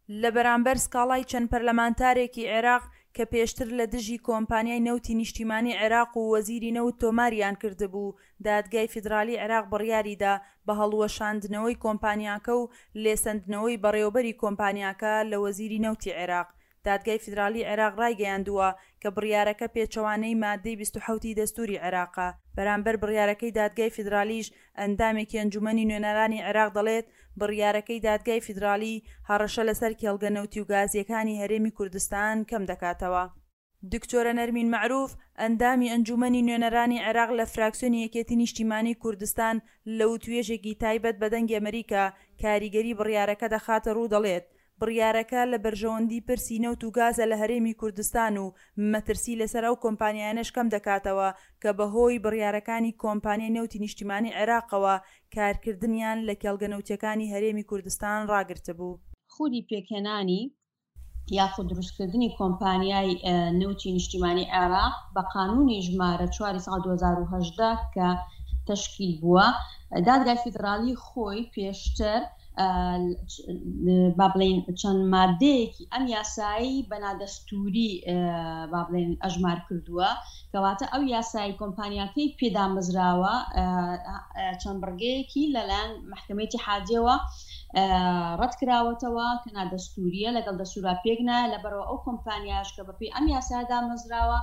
لە بەرامبەر سکاڵای چەند پەرلەمانتارێکی عێراق کە پێشتر لە دژی کۆمپانیای نەوتی نیشتیمانی عێراق و وەزیری نەوت تۆماریان کردبوو، دادگای فیدرالی عێراق بڕیاریدا بە هەڵوەشاندنەوەی کۆمپانیاکە و لێسەندنەوەی بەڕێوەبەری کۆمپانیاکە لە وەزیری نەوتی عێراق. دادگای فیدرالی عێراق ڕایگەیاندووە کە بڕیارەکە پێچەوانەی ماددەی 27 ی دەستووری عێراقە. بەرامبەر بڕیارەکەی دادگای فیدرالیش ئەندامێکی ئەنجومەنی نوێنەرانی عێراق دەڵێت، بڕیارەکەی دادگای فیدرالی هەڕەشە لەسەر کێڵگە نەوتی و گازییەکانی هەرێمی کوردستان کەمدەکاتەوە. دکتۆرە نەرمین مەعروف، ئەندامی ئەنجومەنی نوێنەرانی عێراق لە فراکسیۆنی یەکێتی نیشتیمانی کوردستان لە وتوێژێکی تایبەت بە دەنگی ئەمریکا کاریگەری بڕیارەکە دەخاتە ڕوو دەڵێت، بڕیارەکە لە بەرژەوەندی پرسی نەوت و گازە لە هەرێمی کوردستان و مەترسی لەسەر ئەو کۆمپانیایانەش کەمدەکاتەوە کە بەهۆی بڕیارەکانی کۆمپانیای نەوتی نیشتیمانی عێراقەوە کارکردنیان لە کێڵگە نەوتیەکانی هەرێمی کوردستان ڕاگرتبوو. خودی پێکهێنانی یاخود دروستکردنی کۆمپانیای نەوتی نیشتیمانی عێراق بە قانونی ژمارە چواری ساڵ 2018 کە تەشکیل بووە، دادگای فیدراڵی خۆی پێشتر با بڵێین چەند مادەیەکی ئەم یاسایی بە نادەستووری با بڵێن ئەژمار کردووە، کەواتە ئەو یاسایی کۆمپانیاکەی پێدامەزراوە چەند بڕگەیەکی لەلایەن مەحکەمەی ئیتیحادیەوە ڕەتکراوەتەوە کە نادەستووریە لەگەڵ دەستورا پێک نایە، لەبەرئەوە ئەو کۆمپانیاش کە بەپێی ئەم یاسایە دامەزراوە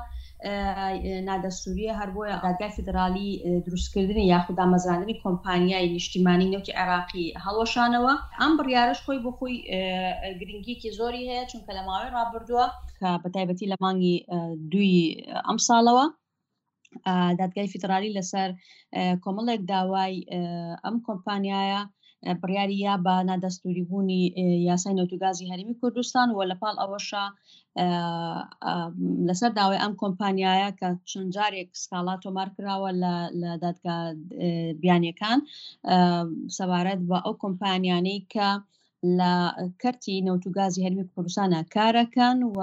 نادەستووریە، هەر بۆیە دادگای فیدراڵی دروستکردنی یاخود دامەزراندنی کۆمپانیای نیشتیمانی نەوتی عێراقی هەڵوەشانەوە. ئەم بڕیارەش خۆی بۆ خۆی گرنگیەکی زۆری هەیە، چونکە لە ماوەی ڕابردووە کە بەتایبەتی لە مانگی دووی ئەمساڵەوە دادگای فیدرالی لەسەر کۆمەڵێک داوای ئەم کۆمپانیایە بڕیاری یا بە نادەستوری بوونی یاسای نەوت و گازی هەرێمی کوردستان و لەپاڵ ئەوەشە لەسەر داوای ئەم کۆمپانیایە کە چەند جارێک سکاڵا تۆمار کراوە لە دادگا بیانیەکان سەبارەت بە ئەو کۆمپانیانەی کە لە کەرتی نەوت و گازی هەرمی کوردستانە کارەکەن و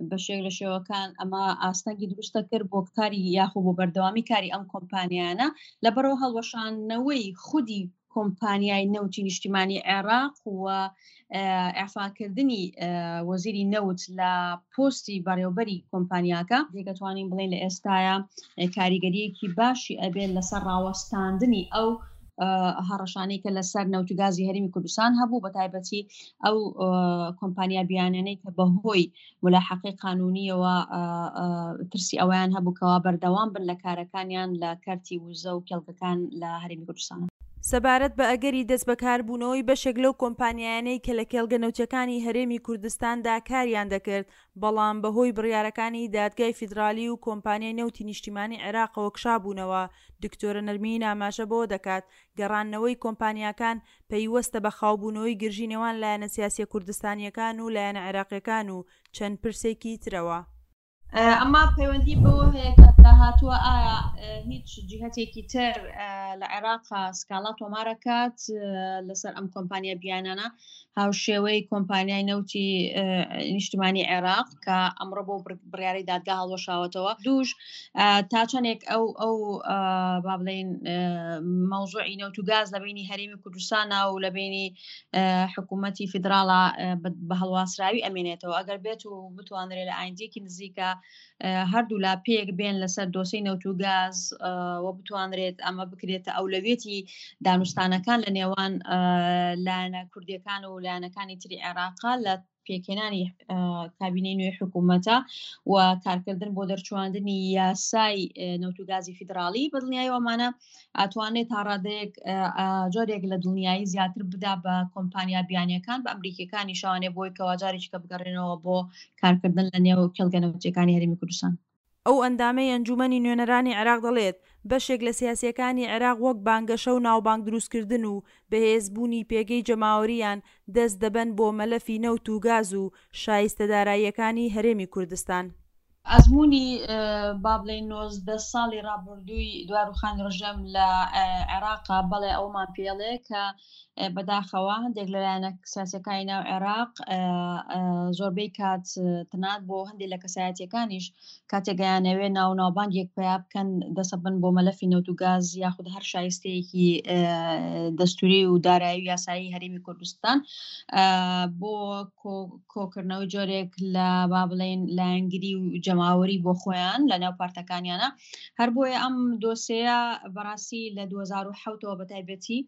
بە شێک لە شێوەکان ئەمە ئاستەنگی دروستە کرد بۆ کاری یاخۆ بۆ بەردەوامی کاری ئەم کۆمپانیانە لەبەرەوە هەڵوەشاندنەوەی خودی کۆمپانیای نەوتی نیشتیمانی عێراق و ئەفاکردنی وەزیری نەوت لە پۆستی بەڕێوبەری کۆمپانیاکە دەتوانین بڵێن لە ئێستاە کاریگەریەکی باشی ئەبێت لەسەر ڕاوەستاندنی ئەو هەڕەشانەی کە لەسەر نەوت و گازی هەرێمی کوردستان هەبوو بە تایبەتی ئەو کۆمپانیا بیانانەی کە بەهۆی ملاحەقەی قانونیەوە ترسی ئەویان هەبوو کەوا بەردەوام بن لە کارەکانیان لە کەرتی وزە و کێڵگەکان لە هەرێمی کوردستان. سەبارەت بە ئەگەری دەستبەکاربوونەوەی بەشێک لەو کۆمپانیایانەی کە لە کێڵگە نەوتیەکانی هەرێمی کوردستاندا کاریان دەکرد، بەڵام بەهۆی بڕیارەکانی دادگای فیدرالی و کۆمپانیای نەوتی نیشتیمانی عێراقەوە کشابوونەوە، دکتۆرە نەرمین ئاماژە بەوە دەکات، گەڕاندنەوەی کۆمپانیاکان پەیوەستە بە خاوبوونەوەی گرژی نێوان لایەنە سیاسیە کوردستانیەکان و لایەنە عێراقیەکان و چەند پرسێکی ترەوە. ئەمە پەیوەندی بەوە هەیە کە داهاتووە ئایا هیچ جیهەتێکی تر لە عێراق سکاڵا تۆمارەکات لەسەر ئەم کۆمپانیا بیانانە هاوشێوەی کۆمپانیای نەوتی نیشتمانی عێراق کە ئەمڕۆ بۆ بڕیاری دادگا هەڵوەشاوەتەوە دووش تا چەندێک ئەو ئەو با بڵێین مەوزوعی نەوت و گاز لە بینی هەرێمی کوردستانە و لە بینی حکوومەتی فیدراڵە بە هەڵواسراوی ئەمێنێتەوە ئەگەر بێت و بتوانرێت لە ئایندێکی نزیکە هەردوو لا پێک بێن لەسەر دۆسەی نەوت و گاز و بتوانرێت ئەمە بکرێتە ئەولەویەتی دانوستانەکان لە نێوان لایەنە کوردیەکان و لایەنەکانی تری عێراقا لە پێکهێنانی کابینەی نوێی حکوومەتە و کارکردن بۆ دەرچواندنی یاسای نەوت و گازی فیدراڵی بەدڵنیایی ئەمانە ئەتوانێت تا ڕادەیەک جۆرێک لە دڵنیایی زیاتر بدا بە کۆمپانیا بیانیەکان بە ئەمریکیەکانی شوانێ بۆی کەوا جارێکی کە بگەڕێنەوە بۆ کارکردن لە نێو کێڵگە نەوتیەکانی هەرێمی کوردستان. ئەو ئەندامەی ئەنجوومەنی نوێنەرانی عێراق دەڵێت، بەشێک لە سیاسییەکانی عێراق وەک بانگەشە و ناوبانگ دروستکردن و بەهێزبوونی پێگەی جەماوەرییان دەست دەبەن بۆ مەلەفی نەوت و گاز و شایستە داراییەکانی هەرێمی کوردستان. ئەزموونی با بڵێین 19 ساڵی ڕابردووی دوای ڕوخانی ڕژێم لە عێراقا بەڵێ ئەومان پێڵێ کە بەداخەوە هەندێک لە لایەنە سیاسەکانی ناو عێراق زۆربەی کات تەنانەت بۆ هەندێک لە کەسایەتیەکانیش کاتێک گەیانەوێ ناو ناوبانگێک پیا بکەن دەسەبن بۆ مەلەفی نەوت و گاز یاخود هەر شایستەیەکی دەستوری و دارایی و یاسایی هەرێمی کوردستان بۆ کۆکردنەوەی جۆرێک لە با بڵێین لایەنگری و جەماوەری بۆ خۆیان لە ناو پارتەکانیانە هەر بۆیە ئەم دۆسەیە بەڕاستی لە 2007ەوە بە تایبەتی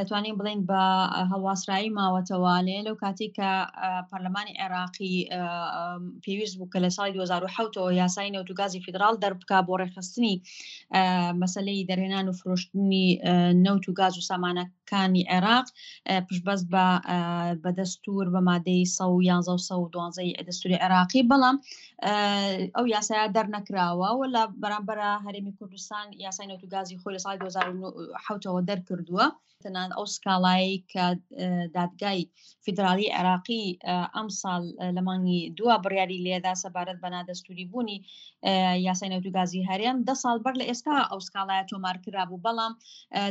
توانین بڵێین بە هەڵواسرایی ماوەتەوە لێ لەو کاتێک کە پەرلەمانی عێراقی پێویست بوو کە لە ساڵی 2007ەوە یاسای نەوت و گازی فیدراڵ دەربکا بۆ ڕێکخستنی مەسلەی دەرهێنان و فرۆشتنی نەوت و گاز و سامانەکانی عێراق پشتبەست بە بە دەستور بە مادەی 111 و 112 دەستوری عێراقی بەڵام ئەو یاسایە دەرنەکراوە و لە بەرامبەرە هەرێمی کوردستان یاسای نەوت و گازی خۆی لە ساڵی 2007ەوە دەرکردووە. تەنانەت ئەو سکاڵایەی کە دادگای فیدراڵی عێراقی ئەمساڵ لە مانگی دووە بڕیاری لێدا سەبارەت بە نادەستوری بوونی یاسای نەوت و گازی هەرێم دە ساڵ بەر لە ئێستا ئەو سکاڵایە تۆمار کرابوو بەڵام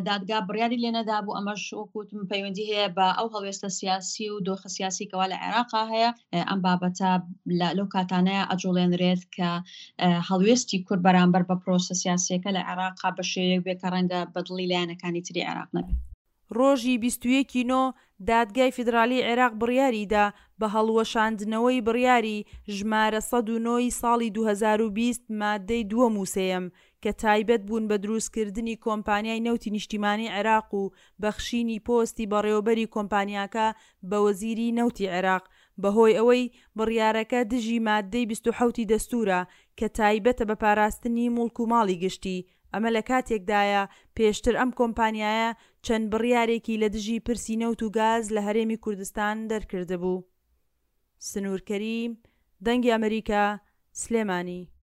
دادگا بڕیاری لێ نەدابوو ئەمەش وەکوتم پەیوەندی هەیە بە ئەو هەڵوێستە سیاسی و دۆخە سیاسی کەوا لە عێراقا هەیە ئەم بابەتە لەو کاتانەیە ئەجوڵێنرێت کە هەڵوێستی کورد بەرامبەر بە پرۆسە سیاسیەکە لە عێراقا بە شێوەیەک بێ کە ڕەنگە بە دڵی لایەنەکانی تری عێراق نەبێت. ڕۆژی 21 ی نۆ، دادگای فیدرالیی عێراق بڕیاریدا بە هەڵوەشاندنەوەی بڕیاری ژمارە 109 ی ساڵی 2020 ماددەی دووەم و سێیەم کە تایبەت بوون بە دروستکردنی کۆمپانیای نەوتی نیشتیمانی عێراق و بەخشینی پۆستی بەڕێوەبەری کۆمپانیاکە بە وەزیری نەوتی عێراق بەهۆی ئەوەی بڕیارەکە دژی ماددەی 27 ی دەستوورە کە تایبەتە بە پاراستنی موڵک و ماڵی گشتی، ئەمە لە کاتێکدایە پێشتر ئەم کۆمپانیایە چەند بڕیارێکی لە دژی پرسی نەوت و گاز لە هەرێمی کوردستان دەرکردبوو. سنوور کەریم، دەنگی ئەمریکا، سلێمانی.